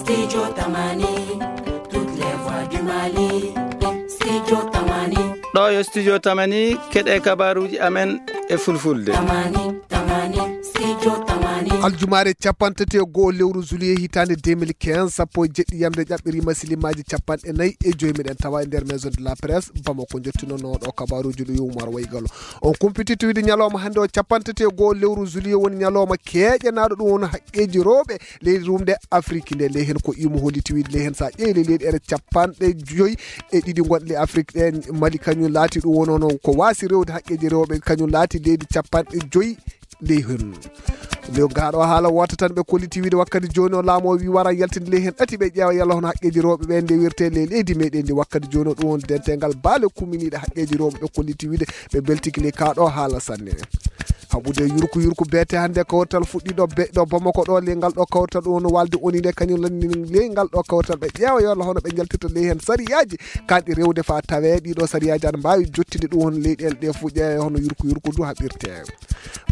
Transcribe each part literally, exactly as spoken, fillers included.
Studio Tamani, toutes les voix du Mali. Studio Tamani. Ɗo yo Studio Tamani, keɗe kabaruji amen e fulfulde. Tamani, Tamani, Studio Tamani. Aljumaare capanɗe tati e go'o lewru juillet hitaande deux mille quinze, sappo e jeɗɗi yamde ƴaɓɓiri masilimaaji capanɗe nayi e joyi meɗen tawa e nder Maison de la Presse, Bamako, jottinonno ɗo kabaruji ɗo yo Umar Waygalo. On kumpiti tuwide ñalawma hannde o capanɗe tati e go'o lewru juillet woni ñalawma keeƴanaaɗo ɗum woni haqqeeji rewɓe leydi rumde Afrique nde. Ley heen ko imo holiti wiide ley heen so a ƴeewi ley leyɗe ere capanɗe joyi e ɗiɗi gonɗe ley Afrique ɗe, Mali kañum laati ɗum wonono ko waasi rewde haqqeeji rewɓe, kañum laati leydi capanɗe joyi ley heen. Nde gaaɗo haala wota tan ɓe kolliti wiide wakkati jooni o laamu o wi wara yaltinde ley heen ɗati ɓe ƴeewa yalla hono haqqeeji rewɓe ɓe nde wirte ley leydi meɗen ndi wakkati jooni o ɗum woni dentegal baale kuminiiɗe haqqeeji rewɓe ɓe kolliti wiide ɓe beltiki ley kaaɗo haala sanne. Haɓude yurku yurku beete hannde kawrital fuɗɗiɗo be ɗo Bamako ɗo ley ngal ɗo kawrital ɗum woni walde oni nde kañum lanni ley ngal ɗo kawrital ɓe ƴeewa yalla hono ɓe njaltirta ley heen sariyaaji kanɗi rewde fa tawe ɗiɗo sariyaaji aɗa mbaawi jottinde ɗum woni leyɗeele ɗe fof ƴeewa hono yurku yurku ndu haɓirte.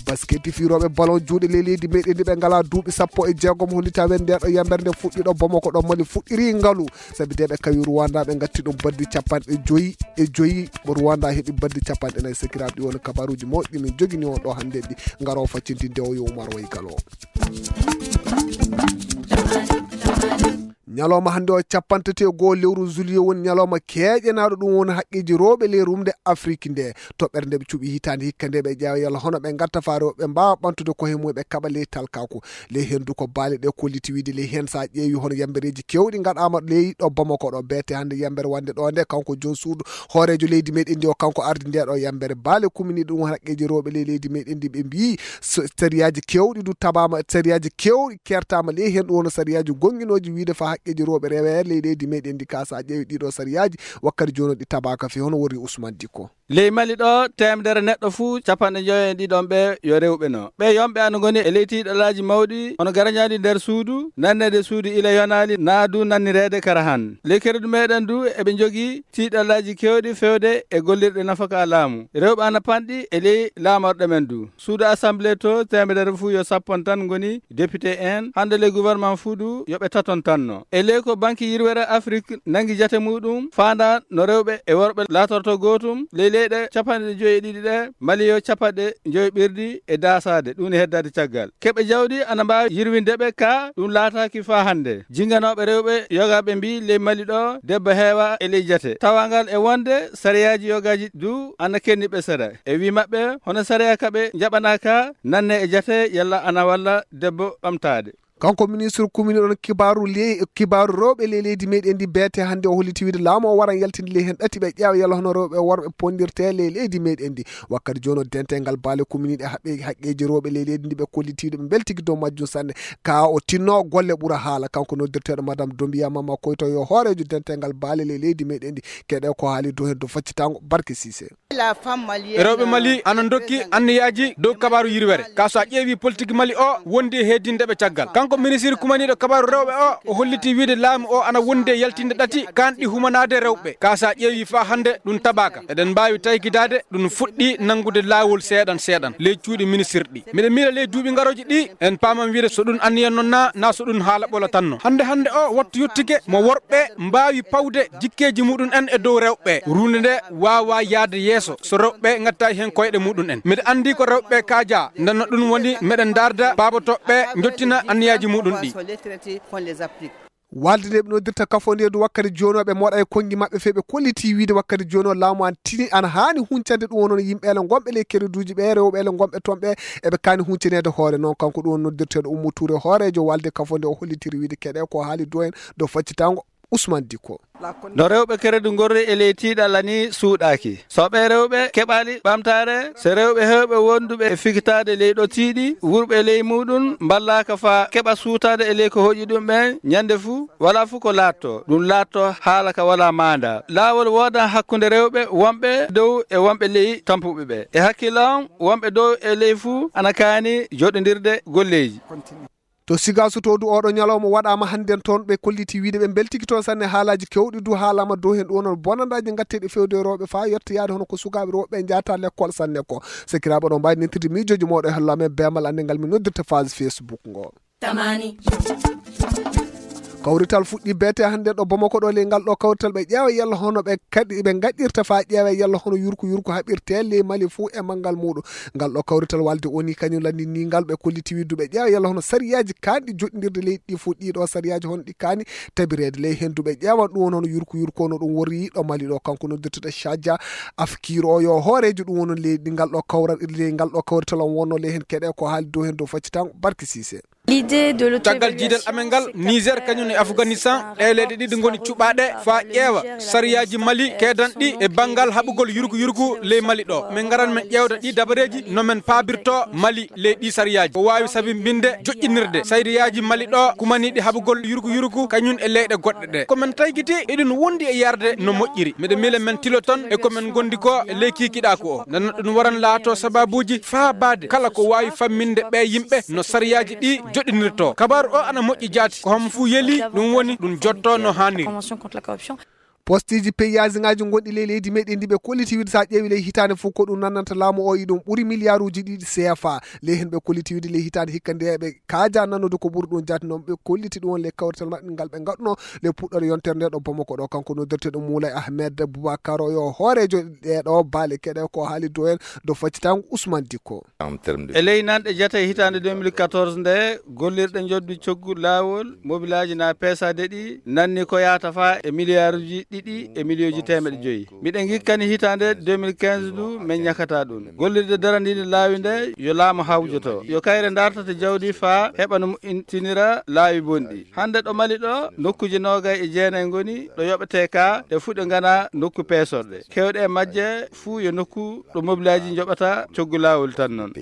Basket firooɓe ballon juuɗe ley leydi meɗen ndi ɓe ngalaa duuɓi sappo e jeegom hollita wen nde ɗo yambere nde fuɗɗiɗo Bamako ɗo Mali fuɗɗiri ngalu sabi de ɓe kawi Rwanda ɓe ngatti ɗum baddi capanɗe joyi e joyi. Rwanda heɓi baddi capanɗe nayi. Sakiraaɓe ɗi woni kabaruji mawɗi min jogini on ɗo hannde ɗi ngaro faccintinde o yo Umar Waygalo. Ñalawma hannde o capanɗe tati e go'o lewru juillet woni ñalawma keeƴanaaɗo ɗum woni haqqeeji rewɓe ley rumde Afrique nde. Toɓɓere nde ɓe cuɓi hitaande hikka nde ɓe ƴeewa yalla hono ɓe ngatta fa rewɓe mbaawa ɓamtude koye mum ɓe kaɓa ley talkaaku. Ley heen du ko baale ɗe kolliti wiide ley heen so a ƴeewi hono yambereeji keewɗi ngaɗaama ley ɗo Bamako ɗo beete hannde yambere wonde ɗo nde kanko joom suudu hooreejo leydi meɗen ndi o kanko ardi nde ɗo yambere baale kuminiiɗe ɗum haqqeeji rewɓe ley leydi meɗen ndi ɓe mbiyi so- sariyaaji keewɗi du tabaama sariyaaji keewɗi kertaama ley heen ɗum woni sariyaaji gonginooji wiide fa haqqeeji rewɓe rewe ley leydi meɗen ndi ka so a ƴeewi ɗiɗo sariyaaji wakkati jooni ɗi tabaaka fi hono wori Ousmane Dicko. Ley Mali ɗo teemedere neɗɗo fuu capanɗe njoyo e ɗiɗon ɓe yo rewɓe no ɓe yonɓe ana ngoni e ley tiiɗalaaji mawɗi hono garañaali nder suudu nanneede suudu ila yonaali naa du nannireede kara han ley keredu meɗen du eɓe njogii tiiɗalaaji keewɗi fewde e gollirɗe nafaka laamu rewɓe ana panɗi e ley laamorɗe men du suudu assemblée to teemedere fuu yo sappon tan ngoni député en hannde ley gouvernement fuu du yo ɓe taton tanno e ley ko banki yirwere Afrique nangi jate muɗum faanda no rewɓe e worɓe laatorto gootum ley leyɗe capanɗe joyi e ɗiɗi ɗe Mali yo capanɗe joyi ɓirɗi e daasaade ɗum ne heddaade caggal keɓe jawdi ana mbaawi yirwinde ɓe ka ɗum laataaki faa hannde jinganooɓe rewɓe yogaaɓe mbi ley Mali ɗo debbo heewa e ley jate tawangal e wonde sariyaaji yogaaji du ana kenni ɓe seeɗa e wi maɓɓe hono sariya ka ɓe njaɓanaaka nanne e jate yalla ana walla debbo ɓamtaade. Kanko ministre kumini ɗon kibaaru le- kibaaru rewɓe ley leydi meɗen ndi beete hannde o holliti wiide laamu o waran yaltinde ley heen ɗati ɓe ƴeewa yalla hono rewɓe e worɓe pondirte ley leydi meɗen ndi wakkati jooni o dental ngal baale kuminiiɗe haɓɓe haqqeeji rewɓe ley leydi ndi ɓe kollitiiɗo ɓe mbeltiki dow majjum sanne ka o tinno golle ɓura haala kanko noddirteeɗo madame Dombiya Mama Koyto yo hooreejo dental ngal baale ley leydi meɗen ndi keɗe ko haali dow heen dow faccitango Barke Sise. Rewɓe Mali ana dokki anniyaaji dow kabaaru yirwere ka so a ƴeewi politique Mali o wondi e heedinde ɓe caggal kanko ministre kumaniiɗo kabaaru rewɓe o o holliti wiide laamu o ana wondi e yaltinde ɗati kanɗi humanaade rewɓe ka so a ƴeewi faa hannde ɗum tabaaka eɗen mbaawi taykidaade ɗum fuɗɗi nanngude laawol seeɗan seeɗan ley cuuɗi ministirɗi miɗo miila ley duuɓi ngarooji ɗi en paaman wiide so ɗum anniyan noon na na so ɗum haala ɓolo tan no hannde hannde o wattu yottike mo worɓe mbaawi pawde jikkeeji muɗum en e dow rewɓe ruunde nde waawa yaade yeeso so rewɓe ngattayi heen koyɗe muɗum en mbiɗa anndi ko rewɓe kaaja ndenno ɗum woni meɗen ndaarda paabotooɓe njottina anniyaaji muɗum ɗi walde nde ɓe noddirta kafo nde du wakkati jooni o ɓe moɗa e konngi maɓɓe fee ɓe kolliti wiide wakkati jooni o laamu an tini ana haani huncande ɗum wonono yimɓe ele gonɓe ley kereduuji ɓe rewɓe ele gonɓe toon ɓe eɓe kaani huncaneede hoore noon kanko ɗum woni noddirteeɗo Ummu Tuure hooreejo walde kafo nde o hollitiri wiide keɗe ko haali dow heen dow faccitango Usman Dikko. No rewɓe keredu ngorri e ley tiiɗalla ni suuɗaaki so ɓee rewɓe keɓaali ɓamtaare so rewɓe heewɓe wonduɓe e fikitaade ley ɗo tiiɗi wurɓe ley muuɗum mballaaka faa keɓa suutaade e ley ko hoƴi ɗum ɓeen ñande fuu walaa fuu ko laattoo ɗum laattoo haala ka walaa maandaa laawol woodan hakkunde rewɓe wonɓe dow e wonɓe ley tampuɓe ɓe e hakkille on wonɓe dow e ley fuu ana kaani joɗondirde golleeji. To Sigaso to du oɗo ñalawma waɗama hannden toon ɓe kolliti wiide ɓe mbeltiki toon sanne haalaji kewɗi du haalama dow hen ɗum wonano bonandaaji ngatteɗi fewde e rewɓe fa yettoyaade hono ko sukaaɓe rewɓe ɓe njahata lekkol sanne ko sakiraaɓe oɗon mbawi nentirde miijoji moɗo e holla men bemal annde ngal min noddirta phase Facebook ngo. Tamani. Kawrital fuɗɗi beete hannde ɗo Bamako ɗo, ley ngal ɗo kawrital ɓe ƴeewa yalla hono ɓe kadi ɓe ngaɗirta faa ƴeewa yalla hono yurku yurku haɓirte ley Mali fuu e manngal muuɗum. Ngal ɗo kawrital walde O N U kañum lanndinii ngal, ɓe kolliti wiide ɓe ƴeewa yalla hono sariyaaji kaanɗi joɗɗindirde leydi ɗi fuu, ɗii ɗo sariyaaji hono ɗi kaani tabireede ley henndu, ɓe ƴeewa ɗum woni hono yurku yurku no ɗum worri ɗo Mali ɗo. Kanko noddirteɗo Shadja Afkir o yo hooreejo ɗum woni leydi ngal ɗo kawra-, ley ngal ɗo kawrital on wonno ley heen keɗe ko haali dow heen dow faccitango Barki Sise. Caggal jiidal amen ngal, Niger kañum e Afganistan, ɗee leyɗe ɗiɗi ngoni cuɓaaɗe faa ƴeewa sariyaaji Mali keedanɗi e banngal haɓugol yurku yurku ley Mali ɗo. Min ngaran min ƴeewda ɗii dabareeji no min paabirto Mali ley ɗii sariyaaji. Ko waawi sabimbinde joƴƴinirde sariyaaji Mali ɗo kumaniiɗi haɓugol yurku yurku kañum e leyɗe goɗɗe ɗe. Ko min taykiti eɗin wondi e yarde no moƴƴiri. Miɗo miila min tilo ton e ko min ngondi ko e ley kiikiɗaaku o. Nana ɗum waran laato sababuuji faabaade kala ko waawi famminde ɓee yimɓe no sariyaaji ɗi joɗɗinirto. Kabaaru o ana moƴƴi jaati. Ko homo fuu yeli, ɗum woni ɗum jotto no haaniri. Postiiji peyaasiŋaaji gonɗi ley leydi meɗen ndi ɓe kolliti wiide so a ƴeewi ley hitaande fof ko ɗum nannanta laamu o iɗum ɓuri miliyaaruuji ɗiɗi C F A. Ley heen ɓe kolliti wiide ley hitaande hikka nde ɓe kaaja nannude ko ɓuri ɗum jaati noon ɓe kolliti ɗum on ley kawrital maɓɓe ngal ɓe ngaɗuno ley puɗɗoore yontere nde ɗo Bamako ɗo. Kanko noddirteɗo Moulay Ahmed Boubacar o yo hooreejo ɗee ɗo baale keɗe ko haali dow heen dow faccitango Ousmane Dicko. E ley nanɗe jate hitaande deux mille quatorze nde, gollirɗe njoddu coggu laawol, mobilaaji na peesaade ɗi, nanni ko yahata faa e miliyaaruuji ɗiɗi e miliyooji teemeɗe joyi. Miɗen ngikkani hitaande deux mille quinze ndu, men ñakata ɗum. Gollirde darandiinde laawi nde, yo laamu hawjoto. Yo kayre dartata jawdi faa heɓa no moƴƴintinira laawi bonɗi. Hannde ɗo Mali ɗo, nokkuuji noogay e jeenay ngoni ɗo yoɓetee ka, ɗe fuu ɗe ngana nokku peesorɗe. Keewɗe e majje fuu yo nokku ɗo mobilaaji njoɓata coggu laawol tan noon.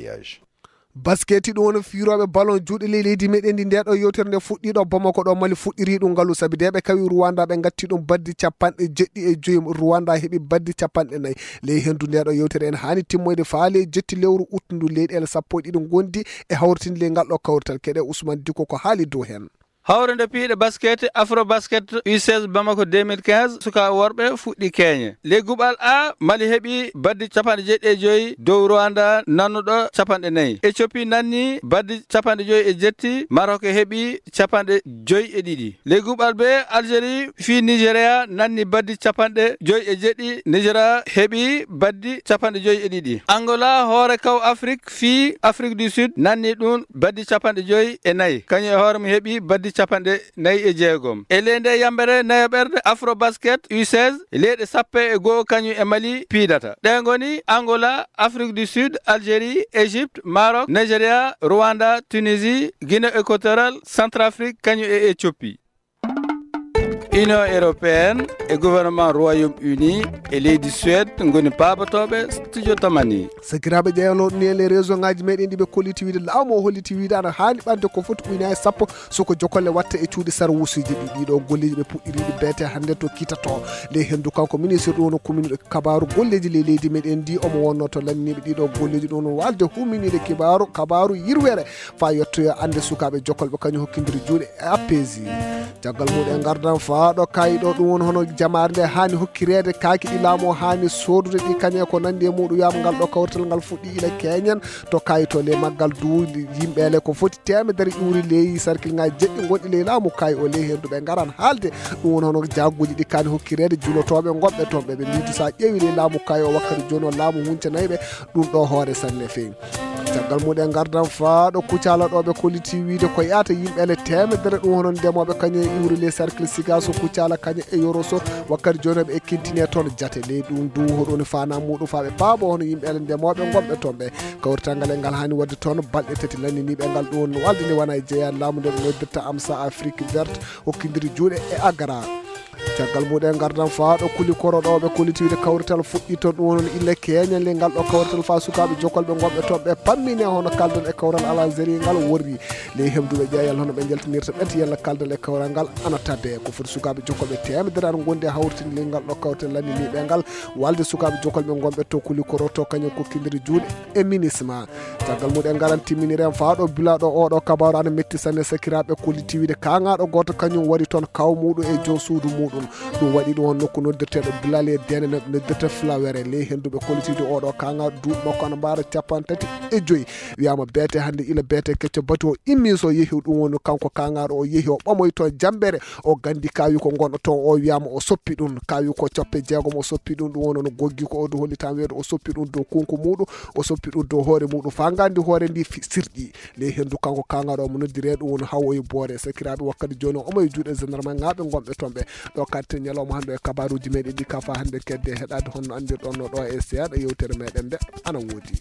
Basketi ɗum woni fiirooɓe ballon juuɗe ley leydi meɗen ndi. Nde ɗo yewtere nde fuɗɗi ɗo Bamako ɗo Mali fuɗɗiri ɗum ngalu sabi nde ɓe kawi Rwanda ɓe ngatti ɗum baddi capanɗe jeɗɗi e joyi. Rwanda heɓi baddi capanɗe nayi. Ley henndu nde ɗo yewtere en haani timmoyde faa ley jetti lewru ut ndu leyɗeele sappo e ɗiɗi ngondi e hawritinde ley ngal ɗo kawrital. Keɗe Ousmane Dicko ko haali dow heen. Hawrinde piiɗe basket, Afro Basket U seize Bamako deux mille quinze, sukaaɓe worɓe fuɗɗi keeñe. Ley guɓal A, Mali heɓi baddi capanɗe jeɗɗi e joyi dow Rwanda nannuɗo capanɗe nayi. Ethiopie nanni baddi capanɗe joyi e jetti, Maroc heɓi capanɗe joyi e ɗiɗi. Ley guɓal B, Algérie fii Nigeria nanni baddi capanɗe joyi e jeɗɗi, Nigeria heɓi baddi capanɗe joyi e ɗiɗi. Angola, hoore kaw Afrik, fii Afrique du Sud nanni ɗum baddi capanɗe joyi e nayi. Kañum e hoore mum heɓi baddi capanɗe nayi e jeegom. E ley nde yambere nayaɓerde Afro Basket U seize, leyɗe sappo e goo kañum e Mali piidata. Ɗe ngoni Angola, Afrique du Sud, Algérie, Égypte, Maroc, Nigeria, Rwanda, Tunisie, Guinée équatoriale, Centrafrique, kañum e Éthiopie. Union européenne e gouvernement Royaume-Uni e leydi Suède ngoni paabotooɓe studio Tamani. Sakiraaɓe ƴeewnoɗo ni e les réseau ngaji meɗen ɗi ɓe kolliti wiide laamu o holliti wiide ana haani ɓande ko foti uynaye sappo soko jokolle watta e cuuɗi sarwusuji ɗi. Ɗiɗo golleji ɓe puɗɗiri ɗi beete hannde to kitato ley henndu kanko ministre ɗum woni commune kabaru golleji ley leydi meɗen ndi omo wonno to lanniɓe ɗiɗo golleji ɗum woni walde huminiɗe kibaru kabaru yirwere faa yettoyo annde sukaaɓe jokolɓe kañum hokkindiri juuɗe e appesi. Caggal muɗum en ngardan faa ɗo kayi ɗo ɗum woni hono jamaare nde haani hokkireede kaaki ɗi laamu o haani soodude ɗi kañe ko nanndi e muɗum wiyaama ngal ɗo kawrital ngal fuɗɗi ila keñen to kayi to le maggal du yimɓeele ko foti teemedere ƴuuri ley sarkil ngaji jeɗɗi gonɗi ley laamu kayi o ley henndu ɓe ngaran haalde ɗum woni hono jagguji ɗi kaani hokkireede julotooɓe gonɓe toon ɓe ɓe mbiidu so a ƴeewi ley laamu kayi o wakkati jooni o laamu huncanayɓe ɗum ɗo hoore sanne feewi. Caggal muɗum en ngardan faa ɗo Kucala ɗo ɓe kolliti wiide ko yahata yimɓe ele teemedere ɗum hono ndemooɓe kañum e iwri les cercle sigaso Kucala kañum e yoroso wakkati jooni ɓe ekkintine toon jate ley ɗum du hoɗoni fana muɗum faa ɓe paabo hono yimɓe ele ndemooɓe gonɓe toon ɓe kawrital ngal e ngal haani waɗde toon balɗe tati lanniniiɓe ngal ɗum woni walde ni wona e jeeya laamu nde ɓe noddirta amsa Afrique verte hokkindiri juuɗe e agara. Caggal muɗum en ngardan faa ɗo kuli koro ɗo ɓe kolliti wiide kawrital fuɗɗi toon ɗum woni ille keñal le ngal ɗo kawrital faa sukaaɓe jokolɓe gonɓe toon ɓe pammine hono kaldal e kawral alazeri ngal worri ley heɓduɓe ƴeeyal hono ɓe njaltinirta ɓen yalla kaldal e kawral ngal ana tadde ko foti sukaaɓe jokolɓe teemedere ana gondi e hawritinde ley ngal ɗo kawrital lanniniiɓe ngal walde sukaaɓe jokolɓe gonɓe to kuli koro to kañum kokkindiri juuɗe e minisma. Caggal muɗum en ngaran timminiren faa ɗo bila ɗo oɗo kabaru ana metti sanne sakiraaɓe kolliti wiide kaŋaaɗo gooto kañum wari toon kaw muɗum e joom suudu muɗum. Ɗum waɗi ɗum on nokku noddirteeɗo Bilal e Dene, no noddirta Flawere. Ley henndu ɓe kollitiiɗo oɗo kaŋŋa, duuɓi makko ana mbaara capanɗe tati e joyi. Wiyaama beete hannde, ila beete kecco batu o immii, so yehi ɗum woni kanko kaŋŋaaɗo, o yehi o ɓamoyi toon Jammbere, o ganndi kaawi ko ngonɗo toon o, wiyaama o soppi ɗum, kaawi ko capanɗe jeegom o soppi ɗum, ɗum woni no goggi ko o du holli tan weedo o soppi ɗum dow kunku muɗum, o soppi ɗum dow hoore muɗum, faa nganndi hoore ndi fi-, sirƴi. Ley henndu kanko kaŋŋaaɗo omo noddiree ɗum woni Hawoyi Boore. Sakiraaɓe, wakkati jooni o omo e juuɗe gendarme ŋaaɓe ngonɓe toon ɓe. Ɗo karte ñalawma hannde e kabaaruuji meɗen ɗi kafa hannde kedde heɗaade honno anndirɗon no ɗo e seeɗa yewtere meɗen nde ana woodi.